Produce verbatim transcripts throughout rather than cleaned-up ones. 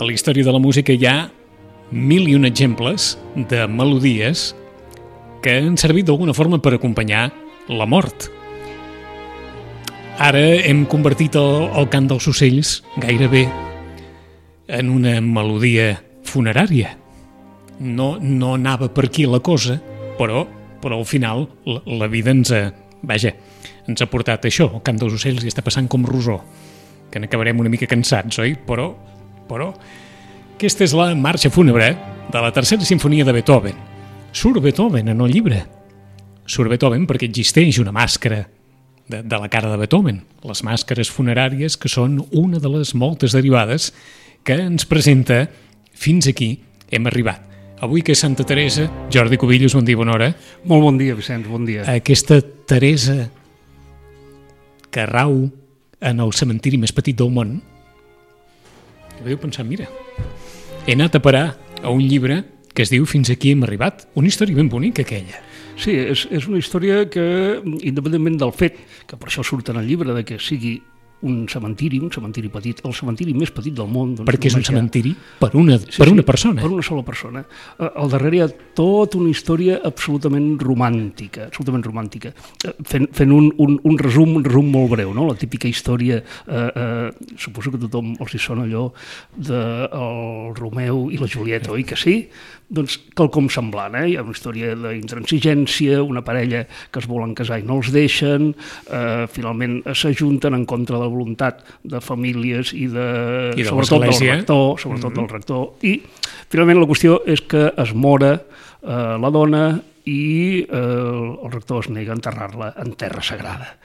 la història de la música hi ha mil i un exemples de melodies que han servit d'alguna forma per acompanyar la mort. Ara hem convertit el, el cant dels ocells gairebé en una melodia funerària. No, no anava per aquí la cosa, però, però al final la, la vida ens ha, vaja, ens ha portat això, el cant dels ocells i està passant com Rosó, que n'acabarem una mica cansats, oi? Però, però aquesta és la marxa fúnebre de la tercera sinfonia de Beethoven. Surt Beethoven en el llibre. Surt Beethoven perquè existeix una màscara de, de la cara de Beethoven, les màscares funeràries, que són una de les moltes derivades que ens presenta fins aquí hem arribat. Avui que és Santa Teresa, Jordi Cubillos, bon dia, bona hora. Molt bon dia, Vicenç, bon dia. Aquesta Teresa que rau en el cementiri més petit del món, vau pensar, mira, he anat a parar a un llibre que es diu Fins aquí hem arribat, una història ben bonica aquella. Sí, és, és una història que, independentment del fet, que per això surt en el llibre, de que sigui un cementiri, un cementiri petit, el cementiri més petit del món. Doncs, perquè és un cementiri per una, sí, per una sí, persona. Per una sola persona. Al darrere hi ha tota una història absolutament romàntica, absolutament romàntica. Fent, fent un, un, un resum, un resum molt breu, no? La típica història, eh, eh, suposo que a tothom els hi sona allò del Romeu i la Julieta, oi que sí? Doncs quelcom semblant, eh? Hi ha una història d'intransigència, una parella que es volen casar i no els deixen, eh, finalment s'ajunten en contra de la voluntat de famílies i, de, I de sobretot del rector, sobretot mm-hmm. del rector, i finalment la qüestió és que es mora eh, la dona i eh, el rector es nega a enterrar-la en terra sagrada.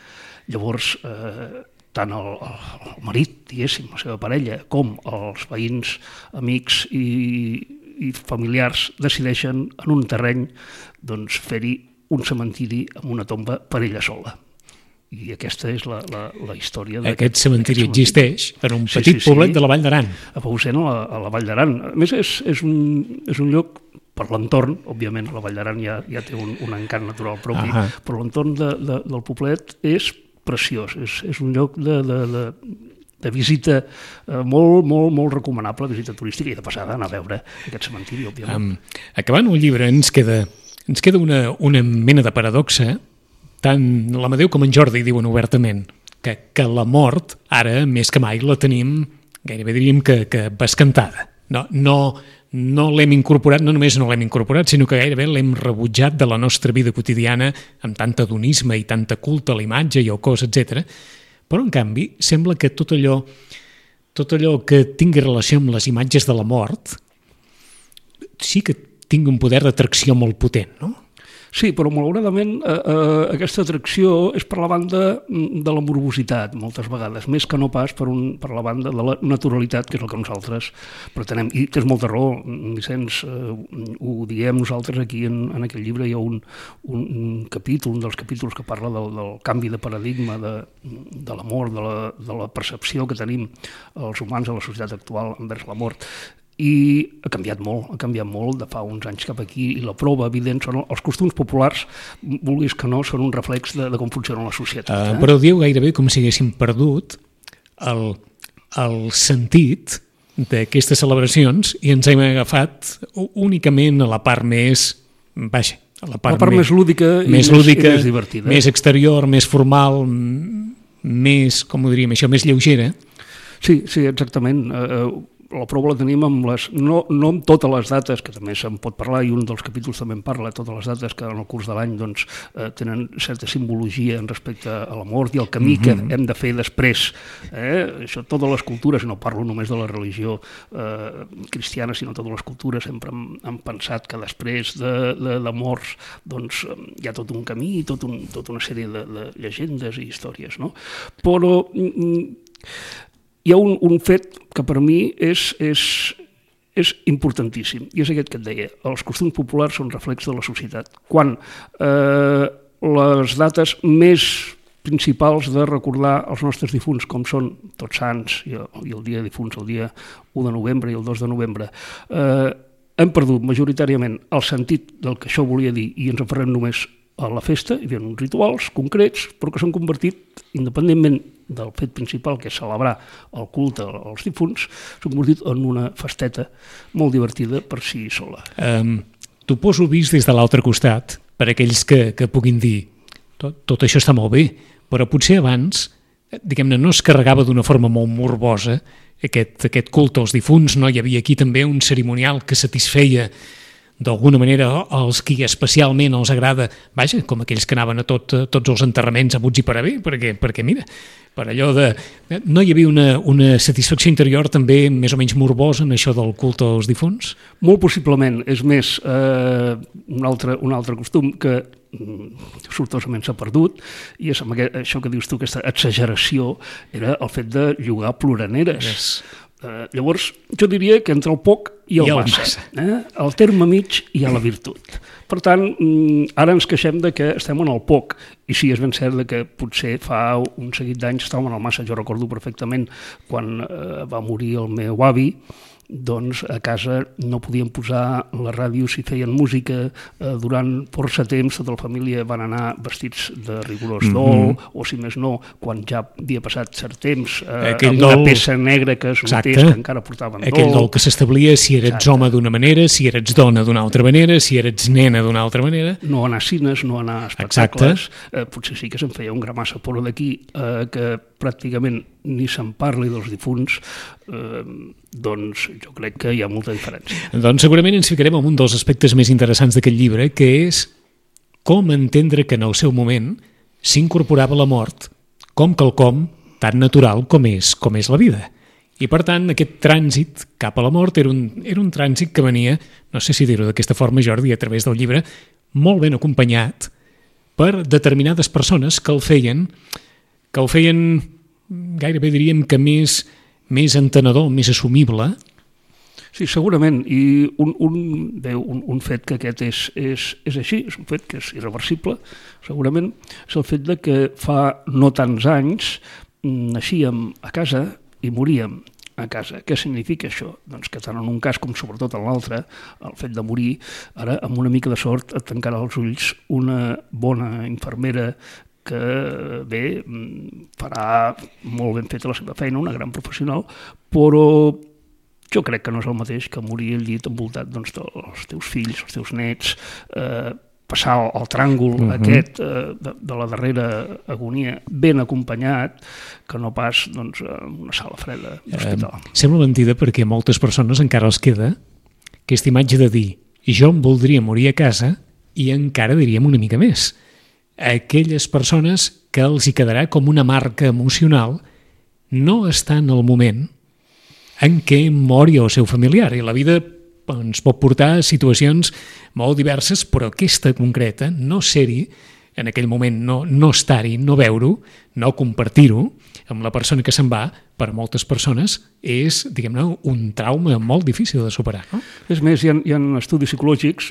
Llavors, eh, tant el, el marit, diguéssim, la seva parella, com els veïns, amics i i familiars decideixen en un terreny doncs, fer-hi un cementiri amb una tomba per ella sola. I aquesta és la, la, la història. Aquest cementiri existeix en un petit sí, sí, poblet sí. de la Vall d'Aran. A Pausent, a la, a la Vall d'Aran. A més, és, és, un, és un lloc per l'entorn, òbviament, la Vall d'Aran ja, ja té un, un encant natural propi, uh -huh. però l'entorn de, de, del poblet és preciós, és, és un lloc de... de, de de visita eh, molt, molt, molt recomanable, visita turística, i de passada anar a veure aquest cementiri, òbviament. Um, acabant el llibre ens queda, ens queda una, una mena de paradoxa, tant l'Amadeu com en Jordi diuen obertament que, que la mort, ara, més que mai, la tenim, gairebé diríem que, que bescantada. No, no, no l'hem incorporat, no només no l'hem incorporat, sinó que gairebé l'hem rebutjat de la nostra vida quotidiana amb tant adonisme i tanta culte a la imatge i al cos, etcètera. Però, en canvi, sembla que tot allò, tot allò que tingui relació amb les imatges de la mort sí que tingui un poder d'atracció molt potent, no? Sí, però malauradament eh, eh, aquesta atracció és per la banda de la morbositat, moltes vegades, més que no pas per, un, per la banda de la naturalitat, que és el que nosaltres pretenem. I tens molta raó, Vicenç, eh, ho diem nosaltres aquí en, en aquell llibre, hi ha un, un, un capítol, un dels capítols que parla del, del canvi de paradigma de, de la mort, de la, de la percepció que tenim els humans a la societat actual envers la mort. I ha canviat molt, ha canviat molt de fa uns anys cap aquí, i la prova evident són els costums populars, vulguis que no, són un reflex de, de com funciona la societat. Eh? Uh, però diu gairebé com si haguéssim perdut el, el sentit d'aquestes celebracions i ens hem agafat únicament a la part més, vaja, a la part, la part més, més lúdica, i, més, més, lúdica i més divertida. Més exterior, més formal, més, com ho diríem això, més lleugera. Sí, sí, exactament. Uh, la prova la tenim amb les, no, no amb totes les dates, que també se'n pot parlar, i un dels capítols també en parla, totes les dates que en el curs de l'any doncs, eh, tenen certa simbologia en respecte a la mort i al camí mm-hmm. que hem de fer després. Eh? Això, totes les cultures, no parlo només de la religió eh, cristiana, sinó totes les cultures sempre han, han pensat que després de, de, de morts doncs, hi ha tot un camí, tot un, tota una sèrie de, de llegendes i històries. No? Però mm, hi ha un, un fet que per mi és, és, és importantíssim, i és aquest que et deia. Els costums populars són reflex de la societat. Quan eh, les dates més principals de recordar els nostres difunts, com són Tots Sants i el, i el dia de difunts, el dia u de novembre i el dos de novembre, eh, hem perdut majoritàriament el sentit del que això volia dir i ens aferrem només a la festa hi havia uns rituals concrets, però que s'han convertit, independentment del fet principal, que és celebrar el culte als difunts, s'han convertit en una festeta molt divertida per si sola. Um, T'ho poso vist des de l'altre costat, per aquells que, que puguin dir tot, tot això està molt bé, però potser abans, diguem-ne, no es carregava d'una forma molt morbosa aquest, aquest culte als difunts, no hi havia aquí també un cerimonial que satisfeia d'alguna manera els qui especialment els agrada, vaja, com aquells que anaven a tot, a tots els enterraments abuts i per haver, perquè, perquè mira, per allò de... No hi havia una, una satisfacció interior també més o menys morbosa en això del culte als difunts? Molt possiblement. És més, eh, un, altre, un altre costum que sortosament s'ha perdut, i és amb aquest, això que dius tu, aquesta exageració, era el fet de llogar ploraneres. Yes. Uh, llavors, jo diria que entre el poc i el, I el massa, massa. Eh? Al terme mig hi ha la virtut. Per tant, ara ens queixem de que estem en el poc, i sí, és ben cert que potser fa un seguit d'anys estàvem en el massa. Jo recordo perfectament quan eh, va morir el meu avi, doncs a casa no podíem posar la ràdio si feien música. Eh, durant força temps tota la família van anar vestits de rigorós dol, mm-hmm. o si més no, quan ja havia passat cert temps, eh, amb una dol... peça negra que es notés que encara portaven dol. Aquell dol que s'establia si eres Exacte. home d'una manera, si eres dona d'una altra manera, si eres nena d'una altra manera. No anar a cines, no anar a espectacles. Eh, potser sí que se'n feia un gramassa, però d'aquí eh, que pràcticament ni se'n parli dels difunts, eh, doncs jo crec que hi ha molta diferència. Doncs segurament ens ficarem en un dels aspectes més interessants d'aquest llibre, que és com entendre que en el seu moment s'incorporava la mort com quelcom tan natural com és, com és la vida. I per tant, aquest trànsit cap a la mort era un, era un trànsit que venia, no sé si dir-ho d'aquesta forma, Jordi, a través del llibre, molt ben acompanyat per determinades persones que el feien, que el feien gairebé diríem que més, més entenedor, més assumible. Sí, segurament, i un, un, bé, un, un fet que aquest és, és, és així, és un fet que és irreversible, segurament, és el fet de que fa no tants anys naixíem a casa i moríem a casa. Què significa això? Doncs que tant en un cas com sobretot en l'altre, el fet de morir, ara amb una mica de sort et tancarà els ulls una bona infermera que bé, farà molt ben feta la seva feina, una gran professional, però jo crec que no és el mateix que morir al llit envoltat doncs, dels teus fills, els teus nets, eh, passar el, el tràngol uh-huh. aquest eh, de, de la darrera agonia ben acompanyat, que no pas doncs, en una sala freda d'hospital. Eh, sembla mentida perquè a moltes persones encara els queda aquesta imatge de dir jo em voldria morir a casa i encara diríem una mica més. Aquelles persones que els hi quedarà com una marca emocional no està en el moment en què mori el seu familiar, i la vida ens pot portar a situacions molt diverses, però aquesta concreta, no ser-hi en aquell moment, no, no estar-hi, no veure-ho, no compartir-ho amb la persona que se'n va, per moltes persones és, diguem-ne, un trauma molt difícil de superar, no? És més, hi ha, hi ha estudis psicològics,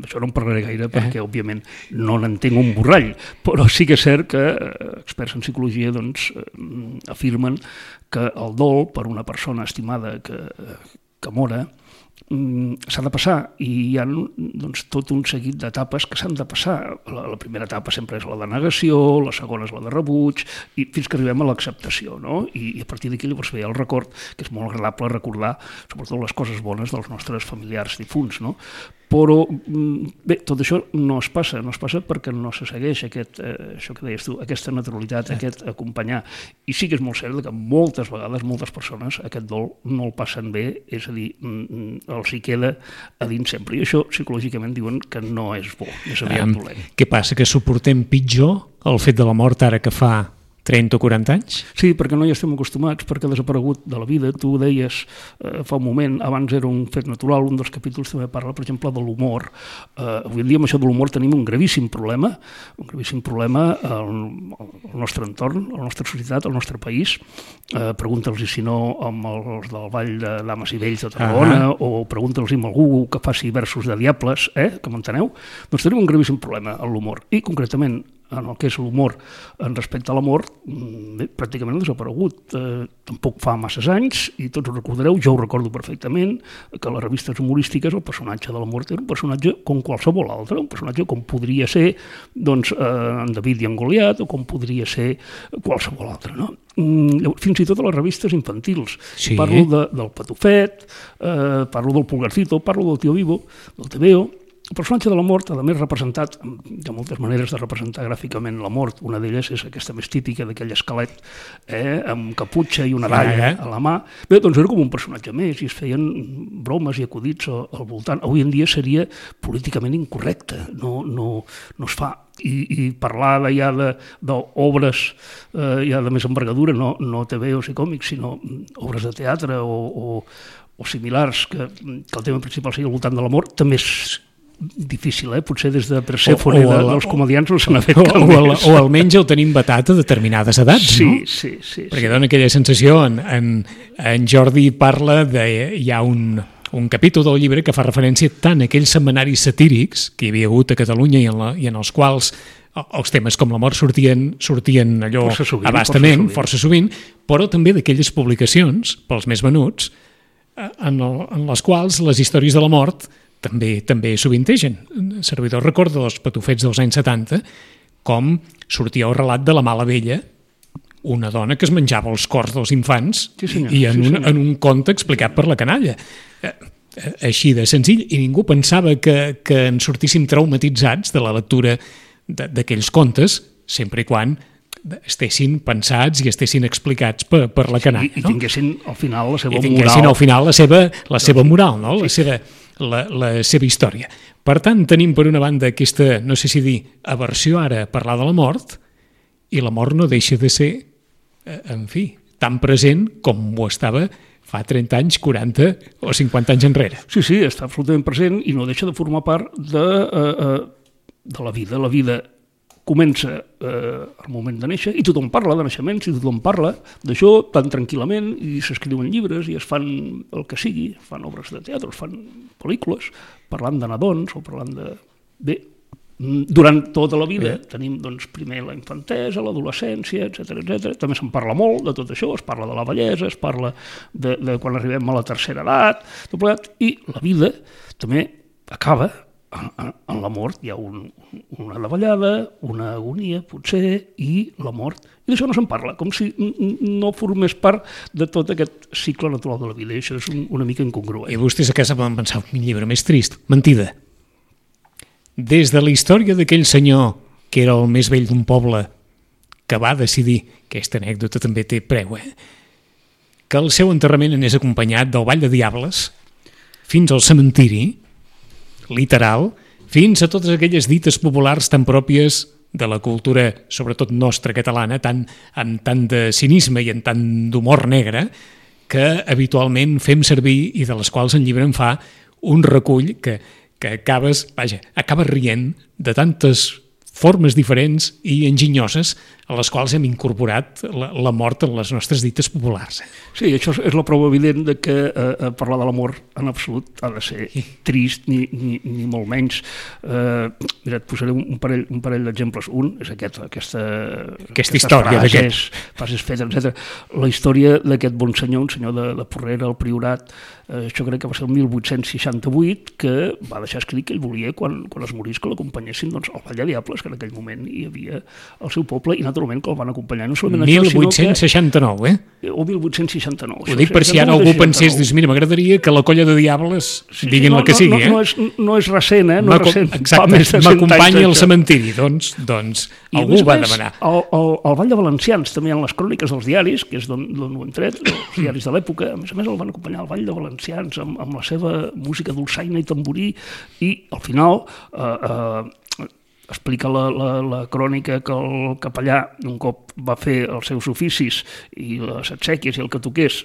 això no en parlaré gaire perquè, eh. òbviament, no n'entenc un borrall, però sí que és cert que experts en psicologia doncs, afirmen que el dol per una persona estimada que, que mora s'ha de passar, i hi ha doncs, tot un seguit d'etapes que s'han de passar. La, la primera etapa sempre és la de negació, la segona és la de rebuig, i fins que arribem a l'acceptació, no? I, i a partir d'aquí llavors ve el record, que és molt agradable recordar sobretot les coses bones dels nostres familiars difunts, no? Però bé, tot això no es passa, no es passa perquè no se segueix aquest, eh, això que deies tu, aquesta naturalitat, eh. aquest acompanyar. I sí que és molt cert que moltes vegades, moltes persones, aquest dol no el passen bé, és a dir, els hi queda a dins sempre. I això psicològicament diuen que no és bo, és aviat um, dolent. Què passa, que suportem pitjor el fet de la mort ara que fa trenta o quaranta anys? Sí, perquè no hi estem acostumats, perquè ha desaparegut de la vida. Tu ho deies eh, fa un moment, abans era un fet natural, un dels capítols també parla, per exemple, de l'humor. Eh, avui en dia amb això de l'humor tenim un gravíssim problema, un gravíssim problema al, al nostre entorn, a la nostra societat, al nostre país. Eh, pregunta'ls si no amb els del Vall de Dames i Vells de Tarragona, uh -huh. o pregunta'ls amb algú que faci versos de diables, eh, que m'enteneu? Doncs tenim un gravíssim problema amb l'humor. I concretament en el que és l'humor en respecte a la mort, bé, pràcticament ha desaparegut. Eh, tampoc fa masses anys, i tots ho recordareu, jo ho recordo perfectament, que a les revistes humorístiques el personatge de la mort era un personatge com qualsevol altre, un personatge com podria ser doncs, eh, en David i en Goliat, o com podria ser qualsevol altre, no? Fins i tot a les revistes infantils. Sí. Parlo de, del Patufet, eh, parlo del Pulgarcito, parlo del Tío Vivo, del Tebeo. El personatge de la mort, a més representat, hi ha moltes maneres de representar gràficament la mort, una d'elles és aquesta més típica d'aquell esquelet eh, amb caputxa i una dalla a la mà. Bé, doncs era com un personatge més i es feien bromes i acudits al voltant. Avui en dia seria políticament incorrecte, no, no, no es fa. I, i parlar de, ja d'obres eh, ja de més envergadura, no, no T V os i còmics, sinó obres de teatre o, o, o similars, que, que el tema principal sigui al voltant de la mort, també és difícil, eh? Potser des de Persèfone de, dels comedians no se n'ha fet cap més. O, o almenys el tenim vetat a determinades edats, sí, no? Sí, sí. Perquè sí. dona aquella sensació, en, en, en Jordi parla de... Hi ha un, un capítol del llibre que fa referència tant a aquells setmanaris satírics que hi havia hagut a Catalunya i en, la, i en els quals els temes com la mort sortien, sortien allò força sovint, abastament, força sovint. força sovint, però també d'aquelles publicacions, pels més venuts, en, el, en les quals les històries de la mort també també sovintegen. El servidor recorda dels Patufets dels anys setanta com sortia el relat de la mala vella, una dona que es menjava els cors dels infants, sí, senyor, i en, sí, un, en un conte explicat per la canalla. Així de senzill, i ningú pensava que, que en sortíssim traumatitzats de la lectura d'aquells contes, sempre i quan estessin pensats i estessin explicats per, per la canalla. I, i tinguessin al final la seva moral. I tinguessin moral. al final la seva, la seva moral, no? la, seva, la, la seva història. Per tant, tenim per una banda aquesta, no sé si dir, aversió ara a parlar de la mort, i la mort no deixa de ser, en fi, tan present com ho estava fa trenta anys, quaranta o cinquanta anys enrere. Sí, sí, està absolutament present i no deixa de formar part de, uh, uh, de la vida. La vida comença eh, al moment de néixer i tothom parla de naixements i tothom parla d'això tan tranquil·lament i s'escriuen llibres i es fan el que sigui, fan obres de teatre, es fan pel·lícules, parlant de nadons o parlant de... Bé, durant tota la vida Bé. tenim doncs, primer la infantesa, l'adolescència, etcètera, etcètera. També se'n parla molt de tot això, es parla de la vellesa, es parla de, de quan arribem a la tercera edat, tot plegat, i la vida també acaba. En, en la mort hi ha un, una davallada, una agonia, potser, i la mort. I d'això no se'n parla, com si no formés part de tot aquest cicle natural de la vida. I això és un, una mica incongruent. I vostès a casa van pensar un llibre més trist. Mentida. Des de la història d'aquell senyor que era el més vell d'un poble, que va decidir, aquesta anècdota també té preu, eh? que el seu enterrament anés acompanyat del ball de diables fins al cementiri, literal, fins a totes aquelles dites populars tan pròpies de la cultura, sobretot nostra catalana, tan, amb tant de cinisme i amb tant d'humor negre, que habitualment fem servir i de les quals el llibre en fa un recull que, que acabes, vaja, acabes rient de tantes formes diferents i enginyoses a les quals hem incorporat la, la mort en les nostres dites populars. Sí, això és la prova evident de que eh, parlar de l'amor en absolut ha de ser trist ni, ni, ni molt menys. Eh, mira, et posaré un parell, un parell d'exemples. Un és aquest, aquesta, aquesta història frases, frases fetes, etcètera. La història d'aquest bon senyor, un senyor de, de Porrera, al Priorat, eh, això crec que va ser el mil vuit-cents seixanta-vuit, que va deixar escrit que ell volia, quan, quan es morís, que l'acompanyessin doncs, al Ball de Diables, que en aquell moment hi havia al seu poble, i naturalment que el van acompanyar. No solament mil vuit-cents seixanta-nou, que, eh? O mil vuit-cents seixanta-nou. Ho dic per si ara algú pensés, dius, mira, m'agradaria que la colla de diables sí, diguin no, la que no, sigui, no, eh? No és, no és recent, eh? No és recent. Exacte, m'acompanyi al cementiri, doncs, doncs algú va demanar. Al, al, al Ball de Valencians, també en les cròniques dels diaris, que és d'on ho hem tret, els diaris de l'època, a més a més el van acompanyar al Ball de Valencians amb, amb la seva música dolçaina i tamborí, i al final eh, eh, explica la, la, la crònica que el capellà un cop va fer els seus oficis i les exèquies i el que toqués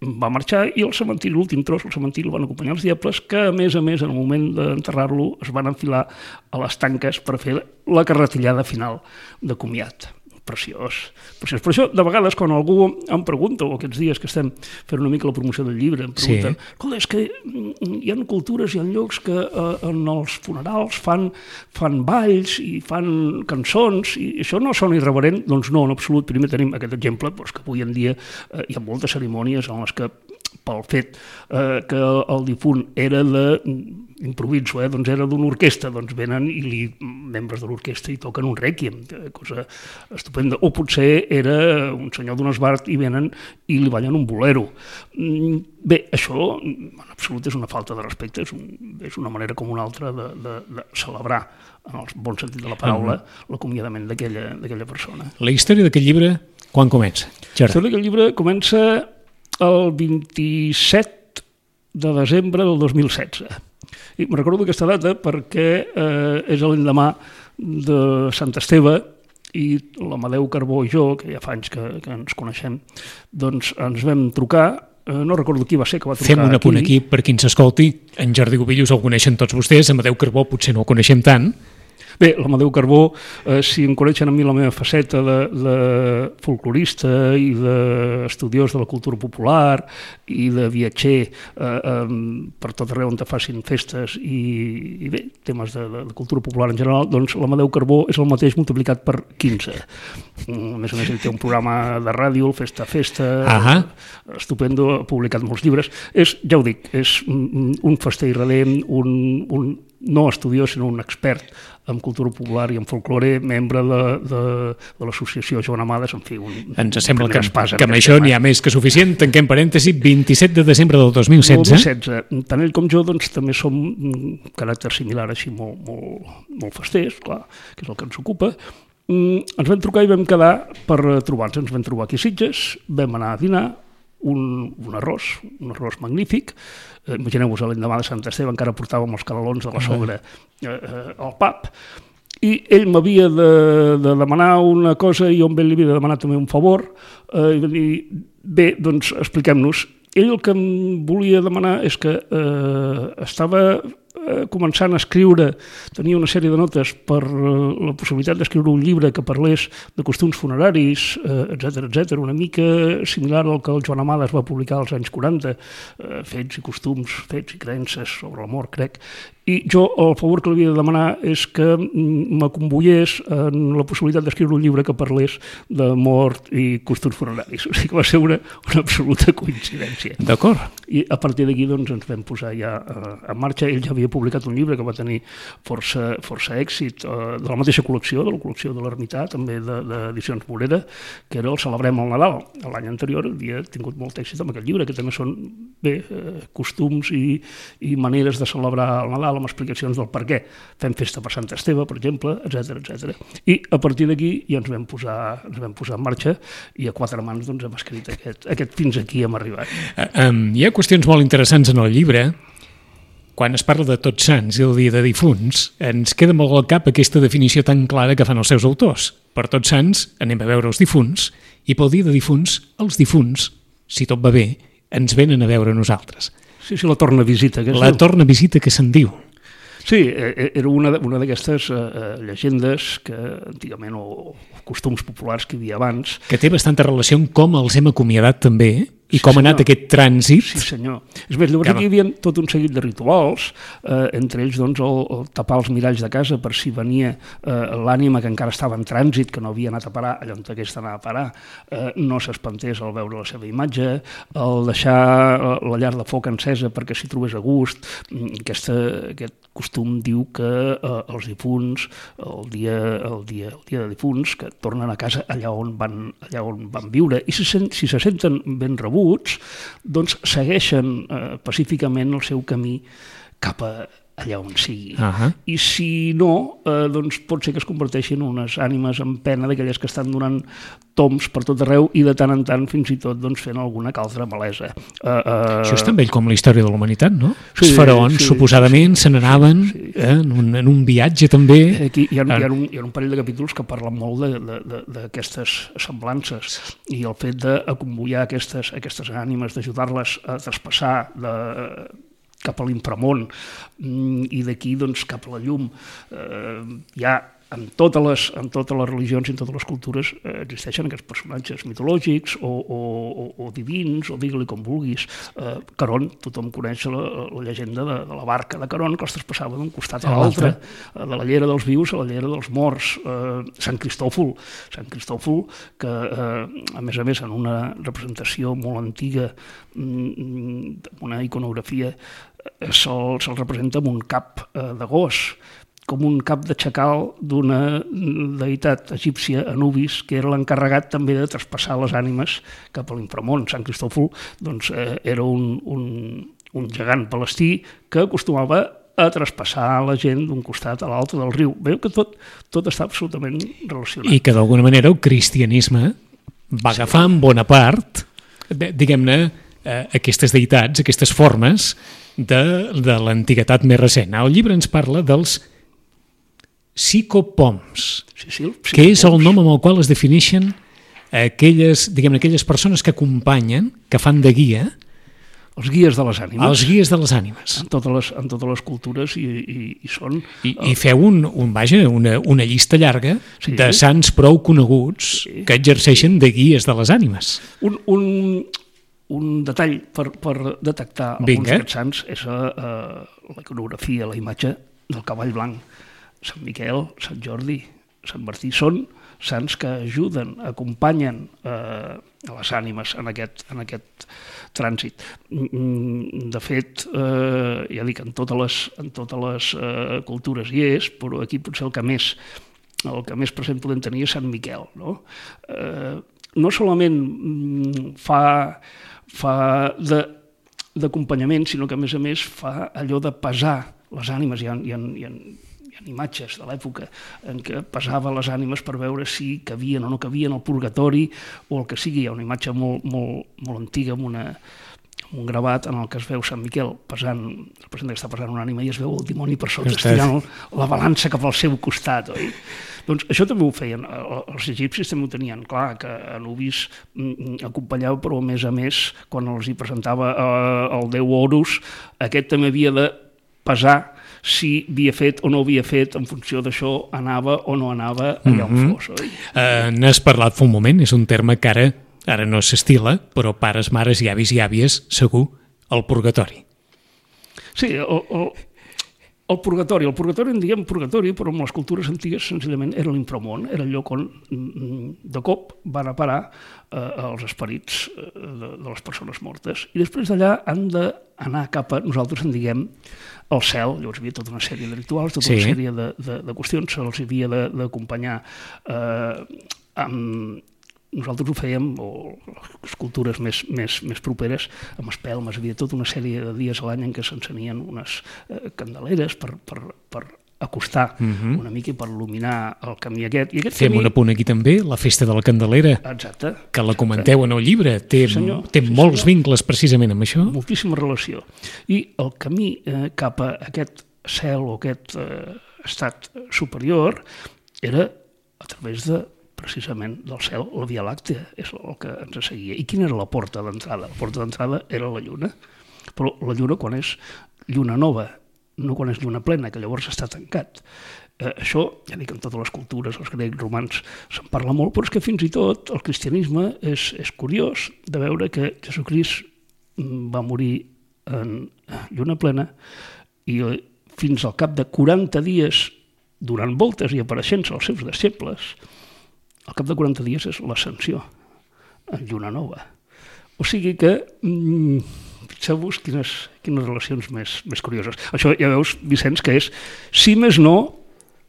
va marxar, i el cementiri, l'últim tros, el cementiri el van acompanyar els diables, que a més a més en el moment d'enterrar-lo es van enfilar a les tanques per fer la carretillada final de comiat. preciós, preciós. Per això, de vegades, quan algú em pregunta, o aquests dies que estem fent una mica la promoció del llibre, em pregunten, sí. escolta, és que hi ha cultures, hi ha llocs que eh, en els funerals fan, fan balls i fan cançons, i això no sona irreverent? Doncs no, en absolut. Primer tenim aquest exemple, doncs, que avui en dia eh, hi ha moltes cerimònies en les que, pel fet eh, que el difunt era de, improviso, eh, doncs era d'una orquestra, doncs venen i li, membres de l'orquestra hi toquen un rèquiem, cosa estupenda. O potser era un senyor d'un esbart i venen i li ballen un bolero. Bé, això en absolut és una falta de respecte, és, un, és una manera com una altra de, de, de celebrar, en el bon sentit de la paraula, uh-huh. l'acomiadament d'aquella persona. La història d'aquest llibre, quan comença? La història d'aquest llibre comença el vint-i-set de desembre del dos mil setze. I me'n recordo aquesta data perquè eh, és l'endemà de Sant Esteve i l'Amadeu Carbó i jo, que ja fa anys que, que ens coneixem, doncs ens vam trucar, eh, no recordo qui va ser que va trucar aquí. Fem un apunt aquí per qui ens escolti. En Jordi Gobillos el coneixen tots vostès, Amadeu Carbó potser no el coneixem tant. Bé, l'Amadeu Carbó, eh, si em coneixen a mi la meva faceta de, de folclorista i d'estudiós de la cultura popular i de viatger eh, eh, per tot arreu on te facin festes i, i bé, temes de, de cultura popular en general, doncs l'Amadeu Carbó és el mateix multiplicat per quinze. A més a més, ell té un programa de ràdio, el Festa Festa, uh-huh. estupendo, ha publicat molts llibres. És, ja ho dic, és un fester irredent, un, un no estudiós, sinó un expert en cultura popular i en folklore, membre de, de, de l'associació Joan Amades, en fi, un... Ens sembla que, que amb això n'hi ha més que suficient. Tanquem parèntesi, vint-i-set de desembre del dos mil setze. dos mil setze. Tant ell com jo, doncs, també som un caràcter similar, així molt, molt, molt festers, clar, que és el que ens ocupa. Mm, ens vam trucar i vam quedar per trobar-nos. Ens vam trobar aquí a Sitges, vam anar a dinar, un, un arròs, un arròs magnífic. Eh, imagineu-vos, l'endemà de Sant Esteve encara portàvem els canelons de la sogra eh, eh, al pub, i ell m'havia de, de demanar una cosa i jo amb ell li havia de demanar també un favor, eh, i va dir, bé, doncs expliquem-nos. Ell el que em volia demanar és que eh, estava eh, començant a escriure, tenia una sèrie de notes per eh, la possibilitat d'escriure un llibre que parlés de costums funeraris, eh, etcètera, etcètera, una mica similar al que el Joan Amades va publicar als anys quaranta, eh, fets i costums, fets i creences sobre la mort, crec. I jo el favor que li havia de demanar és que m'acomboiés en la possibilitat d'escriure un llibre que parlés de mort i costums funeraris. O sigui que va ser una, una absoluta coincidència. D'acord. I a partir d'aquí doncs, ens vam posar ja en marxa. Ell ja havia publicat un llibre que va tenir força, força èxit, eh, de la mateixa col·lecció, de la col·lecció de l'Ermità, també d'Edicions Morera, que era el Celebrem el Nadal. L'any anterior havia tingut molt èxit amb aquest llibre, que també són bé, eh, costums i, i maneres de celebrar el Nadal, amb explicacions del per què fem festa per Sant Esteve, per exemple, etcètera, etcètera. I a partir d'aquí ja ens vam posar, ens vam posar en marxa i a quatre mans doncs, hem escrit aquest, aquest fins aquí hem arribat. Uh, um, hi ha qüestions molt interessants en el llibre. Quan es parla de Tots Sants i el Dia de Difunts, ens queda molt al cap aquesta definició tan clara que fan els seus autors. Per Tots Sants anem a veure els difunts i pel Dia de Difunts, els difunts, si tot va bé, ens venen a veure nosaltres. Sí, sí, la torna visita. Que la torna visita que se'n diu. Sí, era una, una d'aquestes uh, llegendes que antigament, o, o costums populars que hi havia abans. Que té bastanta relació amb com els hem acomiadat també, i sí, com ha senyor. anat aquest trànsit. Sí, senyor. És més, llavors aquí hi havia tot un seguit de rituals, eh, entre ells doncs, el, el tapar els miralls de casa per si venia eh, l'ànima que encara estava en trànsit, que no havia anat a parar allà on hagués d'anar a parar, eh, no s'espantés al veure la seva imatge, el deixar la llar de foc encesa perquè s'hi trobés a gust. Aquesta, aquest costum diu que eh, els difunts, el dia, el, dia, el dia de difunts, que tornen a casa allà on van, allà on van viure, i si, si se senten ben rebuts, doncs segueixen eh, pacíficament el seu camí cap a allà on sigui. Uh-huh. I si no, eh, doncs pot ser que es converteixin en unes ànimes en pena d'aquelles que estan donant toms per tot arreu i de tant en tant fins i tot doncs, fent alguna que altra malesa. Uh, uh... Això és tan vell com la història de la humanitat, no? Sí, els faraons, sí, suposadament, sí, se n'anaven sí. eh, en, un, en un viatge també. Aquí hi ha, hi, ha un, hi ha un parell de capítols que parlen molt d'aquestes semblances i el fet d'acompollar aquestes, aquestes ànimes, d'ajudar-les a traspassar de cap a l'inframón i d'aquí doncs, cap a la llum. Eh, hi ha en totes les, en totes les religions i en totes les cultures eh, existeixen aquests personatges mitològics o, o, o, o divins, o digue-li com vulguis. Eh, Caron, tothom coneix la, la llegenda de, de la barca de Caron, que els traspassava d'un costat a l'altre, eh, de la llera dels vius a la llera dels morts. Eh, Sant Cristòfol, Sant Cristòfol, que eh, a més a més en una representació molt antiga, mm, una iconografia, eh, se'l se representa amb un cap eh, de gos, com un cap de xacal d'una deïtat egípcia, Anubis, que era l'encarregat també de traspassar les ànimes cap a l'inframón. Sant Cristòfol doncs, eh, era un, un, un gegant palestí que acostumava a traspassar la gent d'un costat a l'altre del riu. Veu que tot, tot està absolutament relacionat. I que d'alguna manera el cristianisme va agafar en bona part, diguem-ne, eh, aquestes deïtats, aquestes formes de, de l'antiguitat més recent. El llibre ens parla dels psicopoms, sí, sí, que és el nom amb el qual es defineixen aquelles, diguem-ne, aquelles persones que acompanyen, que fan de guia, els guies de les ànimes. Els guies de les ànimes. En totes les, en totes les cultures i, i, i són... I, i feu un, un, vaja, una, una llista llarga sí. de sants prou coneguts sí. que exerceixen de guies de les ànimes. Un, un, un detall per, per detectar alguns Vinga. d'aquests sants és uh, la iconografia, la imatge del cavall blanc. Sant Miquel, Sant Jordi, Sant Martí, són sants que ajuden, acompanyen eh, a les ànimes en aquest, en aquest trànsit. De fet, eh, ja dic, en totes les, en totes les eh, cultures hi és, però aquí potser el que més, el que més present podem tenir és Sant Miquel. No, eh, no solament fa, fa de, d'acompanyament, sinó que a més a més fa allò de pesar les ànimes. Hi ha, hi ha, hi ha Hi ha imatges de l'època en què pesava les ànimes per veure si cabien o no cabien al purgatori o el que sigui. Hi ha una imatge molt, molt, molt antiga amb, una, amb un gravat en el que es veu Sant Miquel pesant, representa que està pesant una ànima i es veu el dimoni per sota estirant la balança cap al seu costat. Oi? Doncs això també ho feien, els egipcis també ho tenien clar, que Anubis acompanyava, però a més a més, quan els hi presentava el déu Horus, aquest també havia de pesar si havia fet o no havia fet, en funció d'això anava o no anava allà on fos. Oi? Uh, N'has parlat fa un moment, és un terme que ara, ara no s'estila, però pares, mares i avis i àvies, segur, el purgatori. Sí, el, el, el purgatori. El purgatori en diem purgatori, però en les cultures antigues senzillament era l'inframón, era el lloc on de cop van a parar eh, els esperits de, de les persones mortes. I després d'allà han d'anar cap a, nosaltres en diguem, al cel. Llavors hi havia tota una sèrie de rituals, tota sí. una sèrie de, de, de qüestions, se'ls havia d'acompanyar eh, amb... Nosaltres ho fèiem, o les cultures més, més, més properes, amb espelmes. Hi havia tota una sèrie de dies a l'any en què s'encenien unes eh, candeleres per, per, per acostar uh-huh. una mica i per il·luminar el camí aquest. I aquest Fem camí... un apunt aquí també, la festa de la Candelera, exacte, que la comenteu en el llibre, té, senyor, té sí, molts senyor. vincles precisament amb això. Moltíssima relació. I el camí eh, cap a aquest cel o aquest eh, estat superior era a través de precisament del cel, la Via Làctea és el que ens seguia. I quina era la porta d'entrada? La porta d'entrada era la lluna, però la lluna quan és lluna nova, no quan és lluna plena, que llavors està tancat. Eh, això, ja dic, en totes les cultures, els grecs, romans, se'n parla molt, però és que fins i tot el cristianisme és, és curiós de veure que Jesucrist va morir en lluna plena i fins al cap de quaranta dies, donant voltes i apareixent als seus deixebles, al cap de quaranta dies és l'ascensió en lluna nova. O sigui que, mm, fixeu-vos quines, quines relacions més, més curioses. Això ja veus, Vicenç, que és, si més no,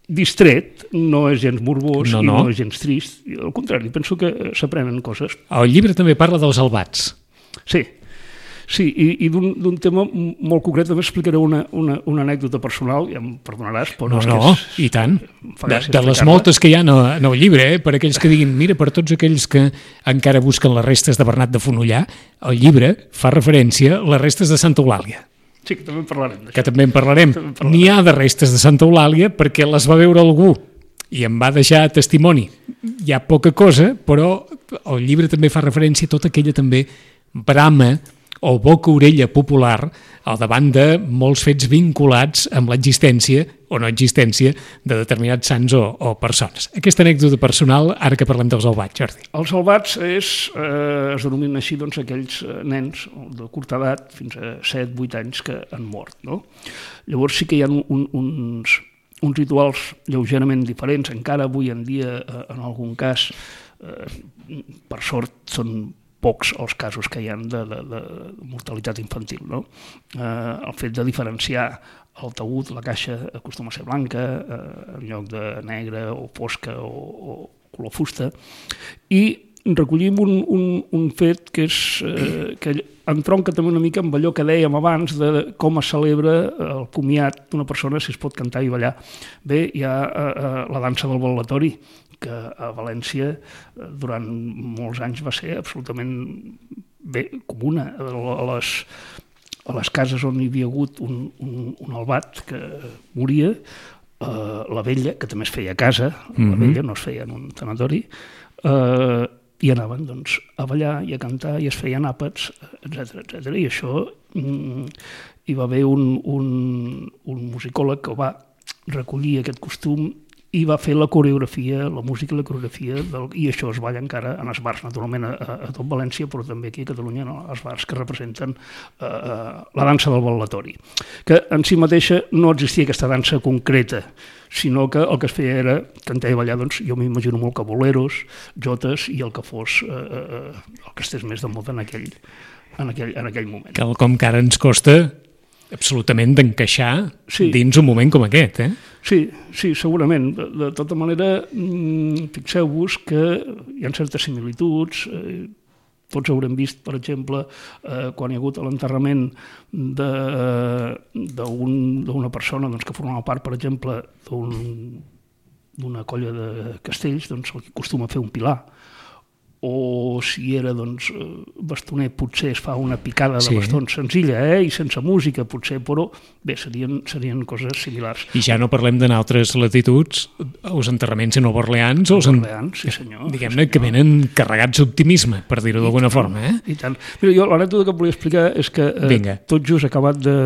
distret, no és gens morbós no, i no. no és gens trist. Al contrari, penso que s'aprenen coses. El llibre també parla dels albats. Sí. Sí, i, i d'un tema molt concret també explicaré una, una, una anècdota personal, ja em perdonaràs, però no, és no, que és... i tant. De, de les moltes que hi ha en el, en el llibre, eh, per aquells que diguin, mira, per tots aquells que encara busquen les restes de Bernat de Fonollar, el llibre fa referència a les restes de Santa Eulàlia. Sí, que també en parlarem d'això. Que també en parlarem. N'hi ha de restes de Santa Eulàlia perquè les va veure algú i em va deixar testimoni. Hi ha poca cosa, però el llibre també fa referència a tota aquella també brama o boca-orella popular al davant de molts fets vinculats amb l'existència o no existència de determinats sants o, o persones. Aquesta anècdota personal, ara que parlem dels albats, Jordi. Els albats és, eh, es denominen així doncs, aquells nens de curta edat, fins a set vuit anys, que han mort. No? Llavors sí que hi ha un, uns, uns rituals lleugerament diferents, encara avui en dia, eh, en algun cas, eh, per sort, són pocs els casos que hi ha de, de, de mortalitat infantil. No? Eh, el fet de diferenciar el taüt, la caixa, acostuma a ser blanca, eh, en lloc de negra o fosca o, o color fusta, i recollim un, un, un fet que, és, eh, que entronca també una mica amb allò que dèiem abans de com es celebra el comiat d'una persona, si es pot cantar i ballar. Bé, hi ha eh, la dansa del bal·latori, que a València durant molts anys va ser absolutament bé comuna. A les, a les cases on hi havia hagut un, un, un albat que moria, eh, la vella, que també es feia a casa, mm-hmm. la vella no es feia en un tanatori, eh, i anaven doncs, a ballar i a cantar i es feien àpats, etcètera etcètera. I això mm, hi va haver un, un, un musicòleg que va recollir aquest costum i va fer la coreografia, la música i la coreografia, del, i això es balla encara en els bars, naturalment a, a tot València, però també aquí a Catalunya, no? Els bars que representen eh, la dansa del bal·latori, que en si mateixa no existia aquesta dansa concreta, sinó que el que es feia era cantar i ballar, doncs jo m'imagino molt que boleros, jotes i el que fos, eh, eh, el que estés més de moda en aquell, en aquell, en aquell moment. Quelcom que ara ens costa absolutament d'encaixar sí. dins un moment com aquest, eh? Sí, sí, segurament. De, de tota manera, mmm, fixeu-vos que hi ha certes similituds. Eh, tots haurem vist, per exemple, eh, quan hi ha hagut l'enterrament d'una persona doncs, que formava part, per exemple, d'una colla de castells, doncs el que acostuma a fer un pilar, o si era doncs, bastoner, potser es fa una picada de sí. bastons senzilla, eh? I sense música, potser, però bé, serien, serien coses similars. I ja no parlem d'en altres latituds, els enterraments en Nova Orleans, o en... Orleans, sí senyor. Diguem-ne sí, que venen carregats d'optimisme, per dir-ho d'alguna forma. Eh? I tant. Mira, jo l'anècdota que volia explicar és que eh, tot just acabat de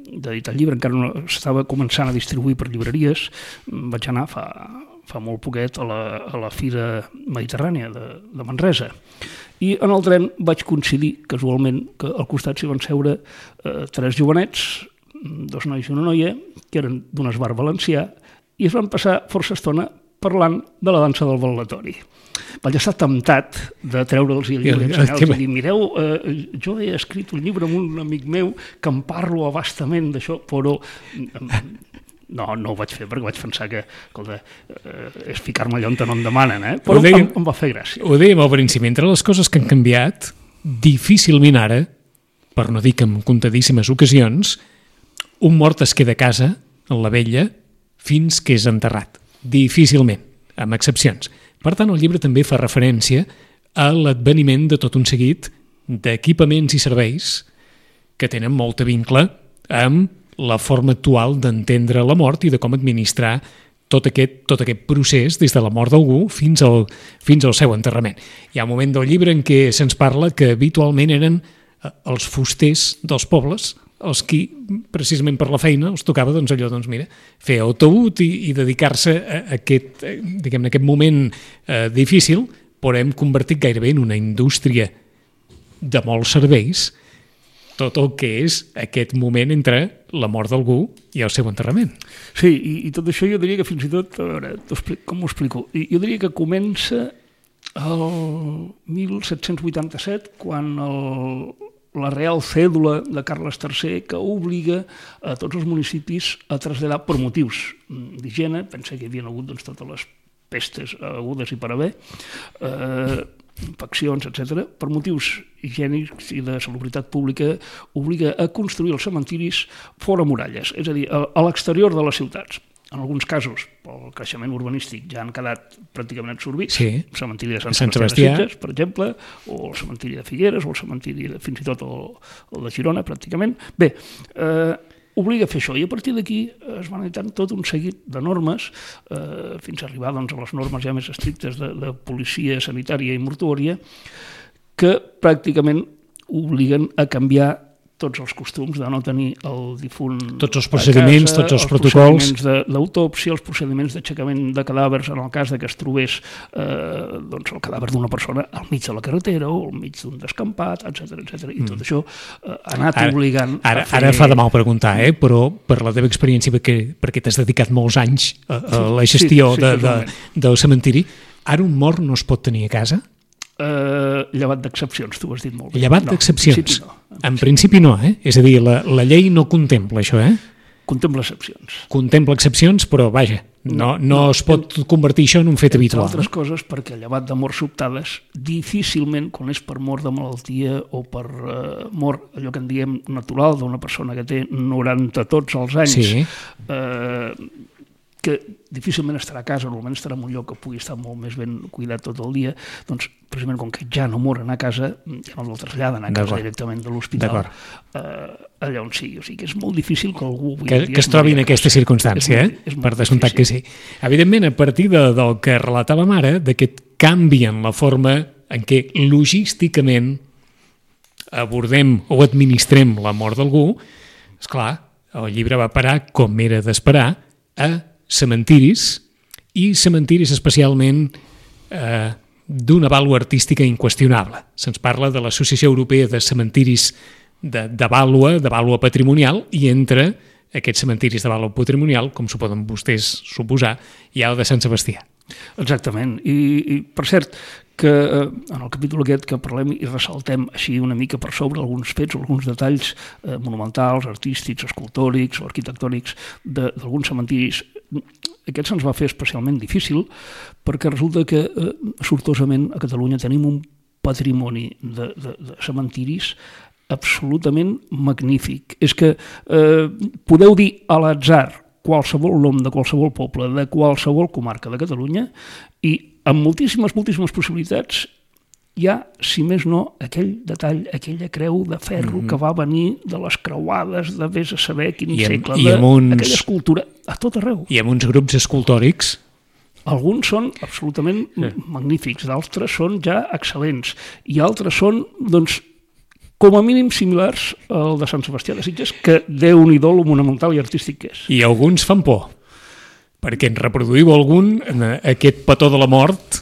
d'editar el llibre, encara no estava començant a distribuir per llibreries, vaig anar fa... fa molt poquet a la, a la Fira Mediterrània de, de Manresa. I en el tren vaig coincidir, casualment, que al costat s'hi van seure eh, tres jovenets, dos nois i una noia, que eren d'un esbar valencià, i es van passar força estona parlant de la dansa del bal·latori. Vaig estar temptat de treure'ls el llibre i ensenyar-los i dir, mireu, eh, jo he escrit un llibre amb un amic meu que em parlo abastament d'això, però... Eh, No, no ho vaig fer perquè vaig pensar que, escolta, eh, és ficar-me allà on no em demanen, eh? Però dèiem, em, em va fer gràcia. Ho dèiem al principi, entre les coses que han canviat, difícilment ara, per no dir que en comptadíssimes ocasions, un mort es queda a casa, en la vella, fins que és enterrat. Difícilment, amb excepcions. Per tant, el llibre també fa referència a l'adveniment de tot un seguit d'equipaments i serveis que tenen molta vincle amb la forma actual d'entendre la mort i de com administrar tot aquest, tot aquest procés des de la mort d'algú fins al, fins al seu enterrament. Hi ha un moment del llibre en què se'ns parla que habitualment eren els fusters dels pobles els qui, precisament per la feina, els tocava doncs, allò, doncs, mira, fer autobús i, i dedicar-se a aquest, diguem-ne, aquest moment eh, difícil, però hem convertit gairebé en una indústria de molts serveis tot el que és aquest moment entre la mort d'algú i el seu enterrament. Sí, i, i tot això jo diria que fins i tot, a veure, com ho explico? Jo diria que comença el mil set-cents vuitanta-set, quan el, la Real Cèdula de Carles tercer que obliga a tots els municipis a traslladar per motius d'higiene, pensa que hi havia hagut doncs, totes les pestes agudes i per haver, eh, infeccions, etcètera, per motius higiènics i de salubritat pública, obliga a construir els cementiris fora muralles, és a dir, a l'exterior de les ciutats. En alguns casos, pel creixement urbanístic, ja han quedat pràcticament absorbits. Sí. El cementiri de Sant, Sant Sebastià de Sitges, per exemple, o el cementiri de Figueres, o el cementiri de, fins i tot el, el de Girona, pràcticament. Bé, eh, obliga a fer això, i a partir d'aquí es van editant tot un seguit de normes, eh, fins a arribar doncs, a les normes ja més estrictes de, de policia sanitària i mortuòria, que pràcticament obliguen a canviar tots els costums de no tenir el difunt tots els procediments, casa, tots els, els protocols, els procediments d'autòpsia, els procediments d'aixecament de cadàvers en el cas de que es trobés eh, doncs el cadàver d'una persona al mig de la carretera o al mig d'un descampat, etcètera, etcètera. I tot mm. això eh, ha anat ara, obligant ara, a fer... Ara fa de mal preguntar, eh? Però per la teva experiència, perquè, perquè t'has dedicat molts anys a, a la gestió sí, sí, de, de, del cementiri, ara un mort no es pot tenir a casa? Uh, llevat d'excepcions, tu ho has dit molt bé. Llevat no, d'excepcions? En, no. en principi no, eh? És a dir, la, la llei no contempla això, eh? Contempla excepcions. Contempla excepcions, però vaja, no, no, no es pot en, convertir això en un fet habitual. Entre altres coses, perquè llevat de morts sobtades, difícilment, quan és per mort de malaltia o per uh, mort, allò que en diem natural, d'una persona que té noranta tots els anys, sí. eh, que difícilment estarà a casa, normalment estarà en un lloc que pugui estar molt més ben cuidat tot el dia, doncs precisament com que ja no moren a casa, ja no el traslladen a casa directament de l'hospital, eh, allà on sigui. O sigui que és molt difícil que algú... Que, que es trobi en aquesta circumstància, és molt, eh? És per descomptat que sí. Evidentment, a partir de, del que relatàvem ara, d'aquest canvi en la forma en què logísticament abordem o administrem la mort d'algú, esclar, el llibre va parar, com era d'esperar, a cementiris, i cementiris especialment eh, d'una vàlua artística inqüestionable. Se'ns parla de l'Associació Europea de Cementiris de, de vàlua, de vàlua patrimonial, i entre aquests cementiris de vàlua patrimonial, com s'ho poden vostès suposar, hi ha el de Sant Sebastià. Exactament, i, i per cert, que eh, en el capítol aquest que parlem i ressaltem així una mica per sobre alguns fets o alguns detalls eh, monumentals, artístics, escultòrics o arquitectònics d'alguns cementiris, aquest se'ns va fer especialment difícil perquè resulta que eh, sortosament a Catalunya tenim un patrimoni de, de, de cementiris absolutament magnífic. És que eh, podeu dir a l'atzar qualsevol nom de qualsevol poble, de qualsevol comarca de Catalunya, i amb moltíssimes, moltíssimes possibilitats hi ha, si més no, aquell detall, aquella creu de ferro mm-hmm. que va venir de les creuades de vés a saber quin I segle, i uns... aquella escultura a tot arreu. I amb uns grups escultòrics. Alguns són absolutament sí. magnífics, d'altres són ja excel·lents, i altres són, doncs, com a mínim similars al de Sant Sebastià de Sitges, que Déu-n'hi-do lo monumental i artístic que és. I alguns fan por, perquè en reproduïu algun, aquest petó de la mort,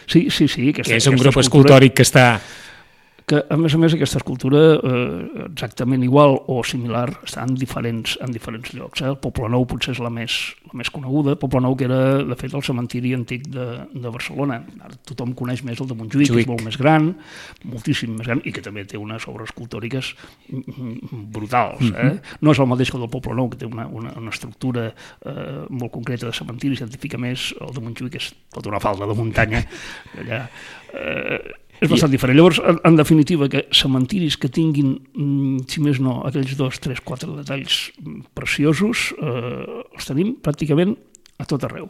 sí, sí, sí, aquesta, que és un aquesta grup escultura... escultòric que està... que a més a més aquesta escultura eh, exactament igual o similar està en diferents, en diferents llocs. Eh? El Poblenou potser és la més, la més coneguda, Poblenou que era de fet el cementiri antic de, de Barcelona. Ara tothom coneix més el de Montjuïc, Juic. Que és molt més gran, moltíssim més gran, i que també té unes obres escultòriques brutals. Eh? Mm-hmm. No és el mateix que el del Poblenou, que té una, una, una estructura eh, molt concreta de cementiri, científica més, el de Montjuïc és tota una falda de muntanya, allà... Eh, és bastant diferent. Llavors, en, en definitiva, que cementiris que tinguin, si més no, aquells dos, tres, quatre detalls preciosos, eh, els tenim pràcticament a tot arreu.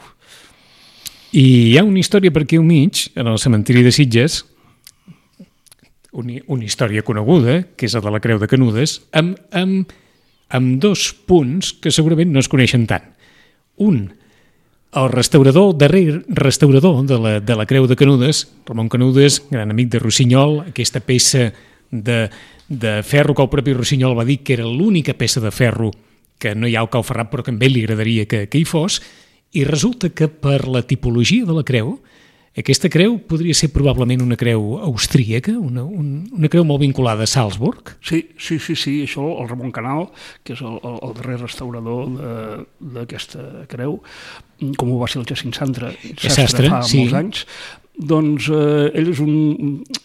I hi ha una història per aquí al mig, en el cementiri de Sitges, una, una història coneguda, que és la de la Creu de Canudes, amb, amb, amb dos punts que segurament no es coneixen tant. Un, el restaurador, el darrer restaurador de la, de la Creu de Canudes, Ramon Canudes, gran amic de Rossinyol, aquesta peça de, de ferro que el propi Rossinyol va dir que era l'única peça de ferro que no hi ha al Cau Ferrat, però que a ell li agradaria que, que hi fos, i resulta que per la tipologia de la creu, aquesta creu podria ser probablement una creu austríaca, una, un, una creu molt vinculada a Salzburg. Sí, sí, sí, sí, això el Ramon Canal, que és el, el, el darrer restaurador d'aquesta creu, com ho va ser el Jacint Sastre, Sastre fa sí. molts anys, doncs eh, ell és un,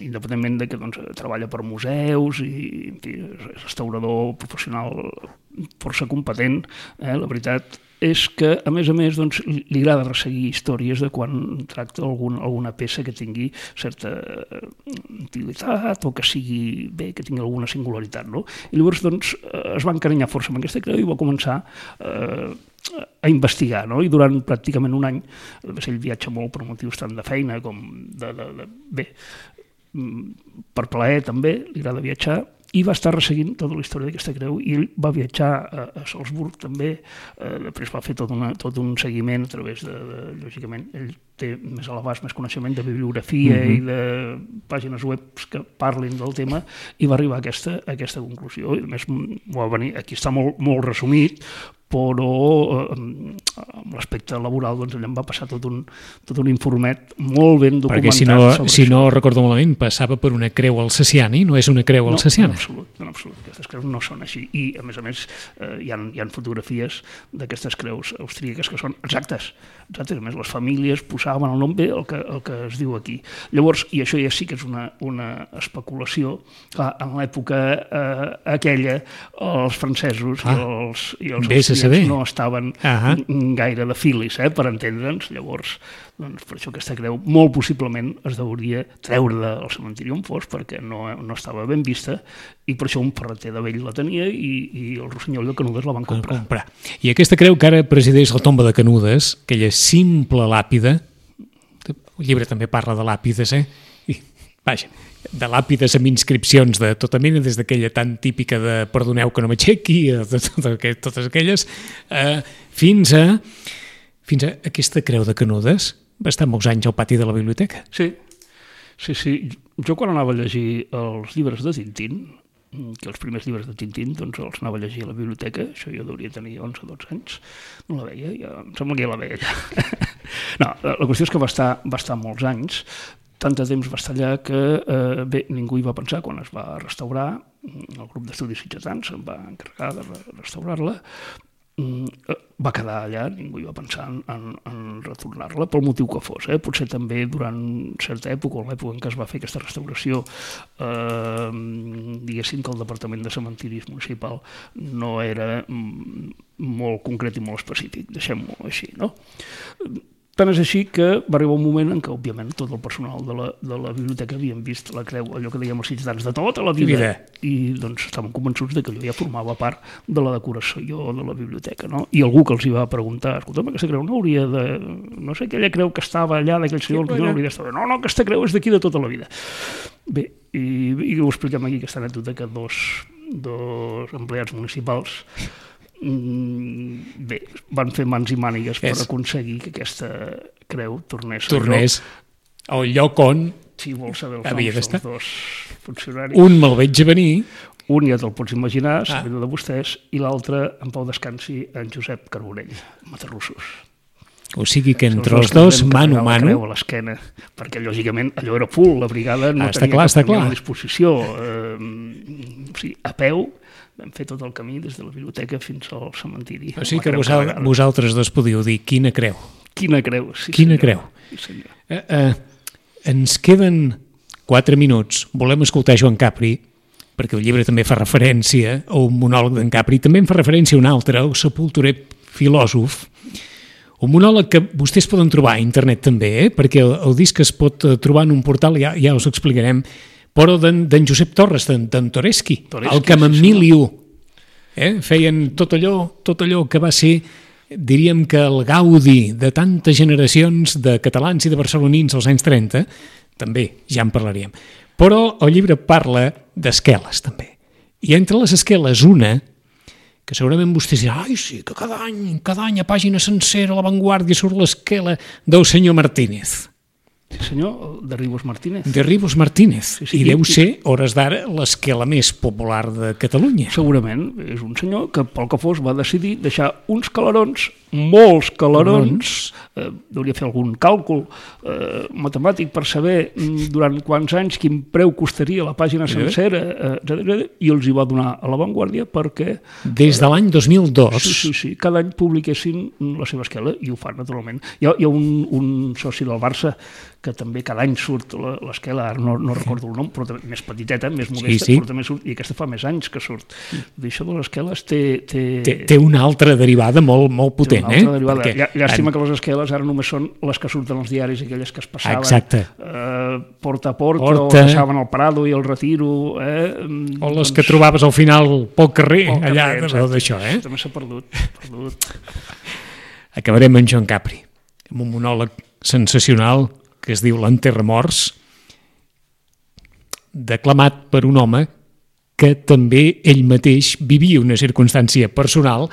independentment de que doncs, treballa per museus i en fi, és restaurador professional força competent, eh, la veritat és que, a més a més, doncs, li agrada resseguir històries de quan tracta algun, alguna peça que tingui certa antiguitat o que sigui bé, que tingui alguna singularitat, no? I llavors, doncs, es va encarinyar força amb aquesta creu i va començar eh, a investigar, no? I durant pràcticament un any, ell viatja molt per motius tant de feina com de... de, de bé, per plaer també, li agrada viatjar, i va estar resseguint tota la història d'aquesta creu, i ell va viatjar a, a Salzburg també, eh, després va fer tot, una, tot un seguiment a través de, de, lògicament, ell té més a l'abast, més coneixement de bibliografia mm-hmm. i de pàgines web que parlin del tema, i va arribar a aquesta, a aquesta conclusió. I a més, va venir, aquí està molt, molt resumit, però eh, amb l'aspecte laboral doncs ell em va passar tot un, tot un informet molt ben documentat. Perquè si no, si no recordo malament, passava per una creu alsaciana, no és una creu alsaciana. No, en absolut, en absolut. Aquestes creus no són així. I, a més a més, eh, hi, ha, hi ha fotografies d'aquestes creus austríaques que són exactes. exactes. A més, les famílies posaven el nom bé, el que, el que es diu aquí. Llavors, i això ja sí que és una, una especulació, clar, en l'època eh, aquella, els francesos ah, i els, i els austríacs no estaven uh-huh. gaire de filis, eh, per entendre'ns. Llavors, doncs, per això aquesta creu molt possiblement es hauria treure del cementiri on fos, perquè no, no estava ben vista, i per això un ferreter de vell la tenia i, i el Rossinyol de Canudes la van comprar. comprar. I aquesta creu que ara presideix la tomba de Canudes, aquella simple làpida, el llibre també parla de làpides, eh? I, vaja, de làpides amb inscripcions de tota mena, des d'aquella tan típica de perdoneu que no m'aixequi, de totes, totes aquelles, eh, fins a fins a aquesta creu de Canudes. Va estar molts anys al pati de la biblioteca. Sí, sí, sí. Jo quan anava a llegir els llibres de Tintín, que els primers llibres de Tintín doncs els anava a llegir a la biblioteca, això jo hauria tenir onze o dotze anys, no la veia, ja, em sembla que ja la veia allà. No, la qüestió és que va estar, va estar molts anys, tant de temps va estar allà que eh, bé, ningú hi va pensar quan es va restaurar, el grup d'estudis sitgetans em va encarregar de restaurar-la, va quedar allà, ningú hi va pensar en, en, en retornar-la pel motiu que fos, eh? Potser també durant certa època, o l'època en què es va fer aquesta restauració, eh, diguéssim que el Departament de Cementiris Municipal no era molt concret i molt específic, deixem-ho així, no? Tant és així que va arribar un moment en què, òbviament, tot el personal de la, de la biblioteca havien vist la creu, allò que dèiem els ciutadans de tota la vida, vida. I doncs estaven convençuts de que allò ja formava part de la decoració de la biblioteca, no? I algú que els hi va preguntar, escolta'm, aquesta creu no hauria de... no sé, aquella creu que estava allà d'aquell senyor, sí, no hauria d'estar... No, no, aquesta creu és d'aquí de tota la vida. Bé, i, i ho expliquem aquí, aquesta anècdota, que dos, dos empleats municipals bé, van fer mans i mànigues per és. aconseguir que aquesta creu tornés, tornés al lloc on si vols saber els noms dels dos funcionaris. Un me'l veig venir, un ja te'l pots imaginar, ah. sabent de vostès, i l'altre, en pau descansi, en Josep Carbonell, Matarrussos. O sigui que entre els dos, mano a mano... a l'esquena, perquè lògicament allò era full, la brigada no ah, tenia clar, cap a disposició. Eh, o sigui, a peu, vam fer tot el camí des de la biblioteca fins al cementiri. O sigui que vosal, vosaltres dos podíeu dir quina creu. Quina creu, sí Quina senyor. creu. Sí, senyor. Eh, eh, ens queden quatre minuts. Volem escoltar Joan Capri, perquè el llibre també fa referència a un monòleg d'en Capri, també en fa referència a un altre, el sepulturer filòsof, un monòleg que vostès poden trobar a internet també, eh? Perquè el, el disc es pot trobar en un portal, ja, ja us ho explicarem, però d'en Josep Torres, d'en Toreschi, el Camamiliu. Eh? Feien tot allò, tot allò que va ser, diríem que el gaudi de tantes generacions de catalans i de barcelonins als anys trenta, també ja en parlaríem. Però el llibre parla d'esqueles, també. I entre les esqueles, una, que segurament vostès diran, ai, sí, que cada any, cada any a pàgina sencera, a l'avantguàrdia, surt l'esquela del senyor Martínez. Sí, senyor, de Ribos Martínez. De Ribos Martínez. Sí, sí, I deu i, ser, hores d'ara, l'esquela més popular de Catalunya. Segurament. És un senyor que, pel que fos, va decidir deixar uns calarons, molts calarons, eh, hauria fer algun càlcul eh, matemàtic per saber durant quants anys, quin preu costaria la pàgina sencera, eh, i els hi va donar a l'avantguàrdia perquè... Des de l'any dos mil dos. Sí, sí, sí. Cada any publiquessin la seva esquela, i ho fan, naturalment. Hi ha, hi ha un, un soci del Barça que també cada any surt l'esquela, ara no, no recordo el nom, però també, més petiteta, més modesta, sí, sí. Però també surt, i aquesta fa més anys que surt. D'això de les esqueles té... Té, té, té una altra derivada molt, molt potent, té una altra eh? derivada. Perquè... Llàstima en... que les esqueles ara només són les que surten als diaris, aquelles que es passaven eh, porta a porta, porta, o passaven al Prado i al Retiro. Eh? O les doncs... que trobaves al final pel carrer, pel allà, carrer, d'això, eh? També s'ha perdut, perdut. Acabarem amb Joan Capri, amb un monòleg sensacional que es diu L'enterramorts, declamat per un home que també ell mateix vivia una circumstància personal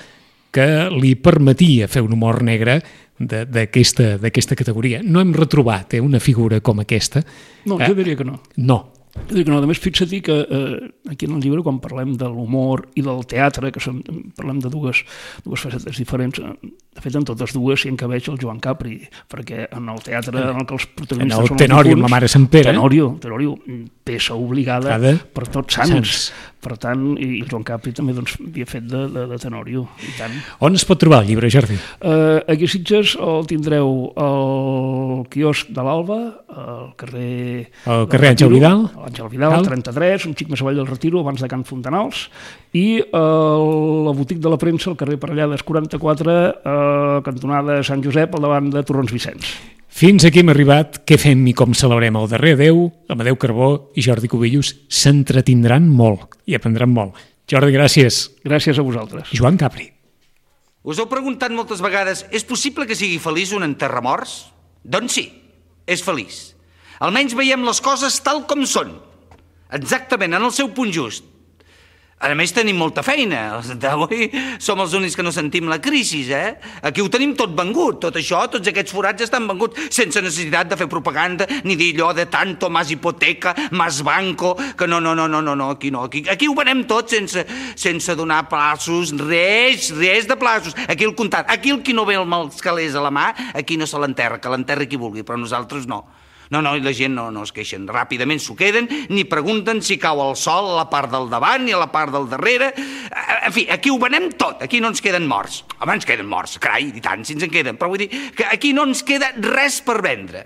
que li permetia fer un humor negre d'aquesta categoria. No hem retrobat eh, una figura com aquesta. No, jo diria que no. No. Jo diria que no. A més, fixa't que eh, aquí en el llibre, quan parlem de l'humor i del teatre, que som, parlem de dues, dues facetes diferents, de fet, en totes dues s'hi encabeix el Joan Capri, perquè en el teatre en el que els protagonistes en el són Tenorio, amb la mare Sant Pere. Tenorio, Tenorio, peça obligada Cada... per tots sants. sants. Per tant, i el Joan Capri també doncs, havia fet de, de, de Tenorio. I tant. On es pot trobar el llibre, Jordi? Uh, aquí a Sitges el tindreu al quiosc de l'Alba, al carrer... Al carrer Àngel Vidal. Àngel Vidal, trenta-tres, un xic més avall del Retiro, abans de Can Fontanals, i a la botiga de la premsa, al carrer Parellades quaranta-quatre, a cantonada Sant Josep, al davant de Torrons Vicenç. Fins aquí hem arribat. Què fem i com celebrem el darrer adeu? Amadeu Carbó i Jordi Cubillos s'entretindran molt i aprendran molt. Jordi, gràcies. Gràcies a vosaltres. Joan Capri. Us heu preguntat moltes vegades, és possible que sigui feliç un enterramorts? Doncs sí, és feliç. Almenys veiem les coses tal com són, exactament en el seu punt just. A més, tenim molta feina. Avui som els únics que no sentim la crisi, eh? Aquí ho tenim tot vengut, tot això, tots aquests forats estan venguts, sense necessitat de fer propaganda, ni dir allò de tanto, más hipoteca, más banco, que no, no, no, no, no, no aquí no. Aquí, aquí ho venem tot sense, sense donar plaços, res, res de plaços. Aquí el comptat, aquí el qui no ve els calés a la mà, aquí no se l'enterra, que l'enterri qui vulgui, però nosaltres no. No, no, i la gent no, no es queixen. Ràpidament s'ho queden, ni pregunten si cau el sol a la part del davant ni a la part del darrere. En fi, aquí ho venem tot, aquí no ens queden morts. Home, ens queden morts, carai, i tant, si ens en queden. Però vull dir que aquí no ens queda res per vendre.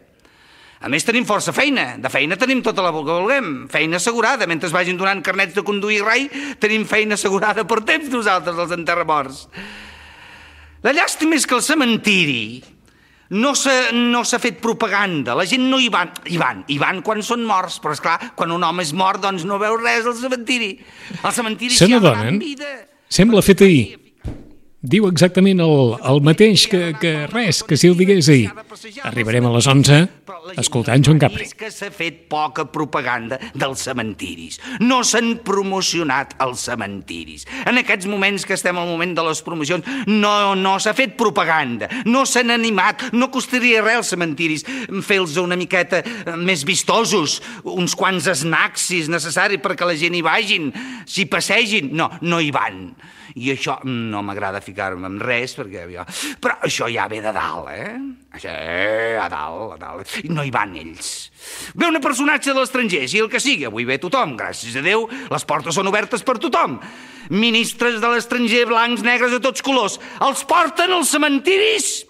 A més, tenim força feina. De feina tenim tota la que vulguem. Feina assegurada. Mentre es vagin donant carnets de conduir rai, tenim feina assegurada per temps nosaltres, els enterramorts. La llàstima és que el cementiri no s'ha no s'ha fet propaganda. La gent no hi van. Hi van, hi van quan són morts. Però, esclar, quan un home és mort, doncs no veu res al cementiri. Al cementiri s'hi ha gran vida. Sembla fet ahir. Diu exactament el, el mateix que, que res, que si el digués ahir. Arribarem a les onze escoltant Joan Capri. És que s'ha fet poca propaganda dels cementiris. No s'han promocionat els cementiris. En aquests moments que estem al moment de les promocions, no, no s'ha fet propaganda, no s'han animat, no costaria res als cementiris fer-los una miqueta més vistosos, uns quants snacks, si és necessari, perquè la gent hi vagin, s'hi passegin. No, no hi van. I això no m'agrada ficar-me en res, perquè jo... Però això ja ve de dalt, eh? Això, a dalt, a dalt. I no hi van ells. Ve un personatge de l'estranger, si el que sigui. Avui ve tothom, gràcies a Déu, les portes són obertes per tothom. Ministres de l'estranger, blancs, negres, de tots colors, els porten als cementiris